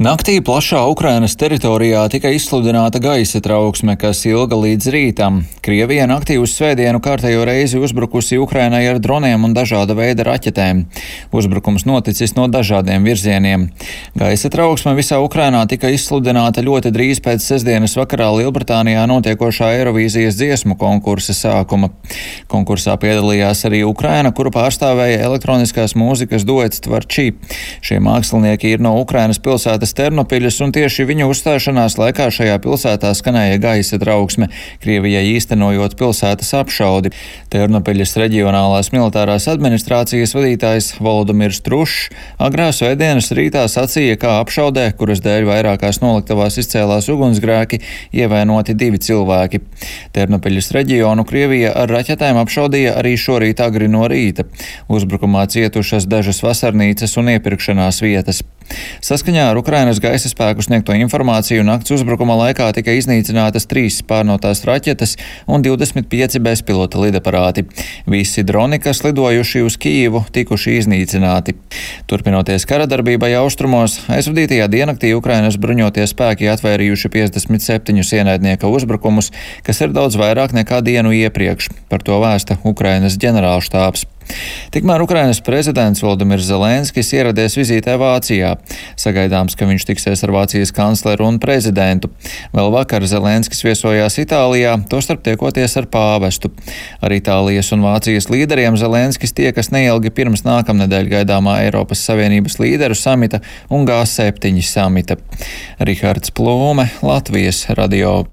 Naktī plašā Ukrainas teritorijā tika izsludināta gaisa trauksme, kas ilga līdz rītam. Krievija naktī uz svētdienu kārtējo reizi uzbrukusi Ukrainai ar droniem un dažāda veida raķetēm. Uzbrukums noticis no dažādiem virzieniem. Gaisa trauksme visā Ukrainā tika izsludināta ļoti drīz pēc sestdienas vakarā Lielbritānijā notiekošā Eirovīzijas dziesmu konkursa sākuma. Konkursā piedalījās arī Ukraina, kuru pārstāvēja elektroniskās mūzikas duets Tvarči. Šie mākslinieki ir no Ukrainas pilsētas Ternopiļas, un tieši viņu uzstāšanās laikā šajā pilsētā skanēja gaisa trauksme, Krievijai īstenojot pilsētas apšaudi. Ternopiļas reģionālās militārās administrācijas vadītājs Volodimirs Trušs agrā svētdienas rītā sacīja, kā apšaudē, kuras dēļ vairākās noliktavās izcēlās ugunsgrēki, ievainoti 2 cilvēki. Ternopiļas reģionu Krievija ar raķetēm apšaudīja arī šorīt agri no rīta. Uzbrukumā cietušas dažas vasarnīcas un iepirkšanās vietas. Saskaņā ar Ukrainas gaisa spēku sniegto informāciju nakts uzbrukuma laikā tika iznīcinātas 3 pārnotās raķetes un 25 bezpilota lidaparāti. Visi droni, kas lidojuši uz Kijivu, tikuši iznīcināti. Turpinoties karadarbībai austrumos, aizvadītajā diennaktī Ukrainas bruņotie spēki atvērījuši 57 ienaidnieka uzbrukumus, kas ir daudz vairāk nekā dienu iepriekš. Par to vēsta Ukrainas ģenerālštābs. Tikmēr Ukrainas prezidents Volodimirs Zelenskis ieradies vizītē Vācijā. Sagaidāms, ka viņš tiksies ar Vācijas kancleru un prezidentu. Vēl vakar Zelenskis viesojās Itālijā, tostarp tiekoties ar pāvestu. Ar Itālijas un Vācijas līderiem Zelenskis tiekas neilgi pirms nākamnedēļ gaidāmā Eiropas Savienības līderu samita un G7 samita. Rihards Plūme, Latvijas radio.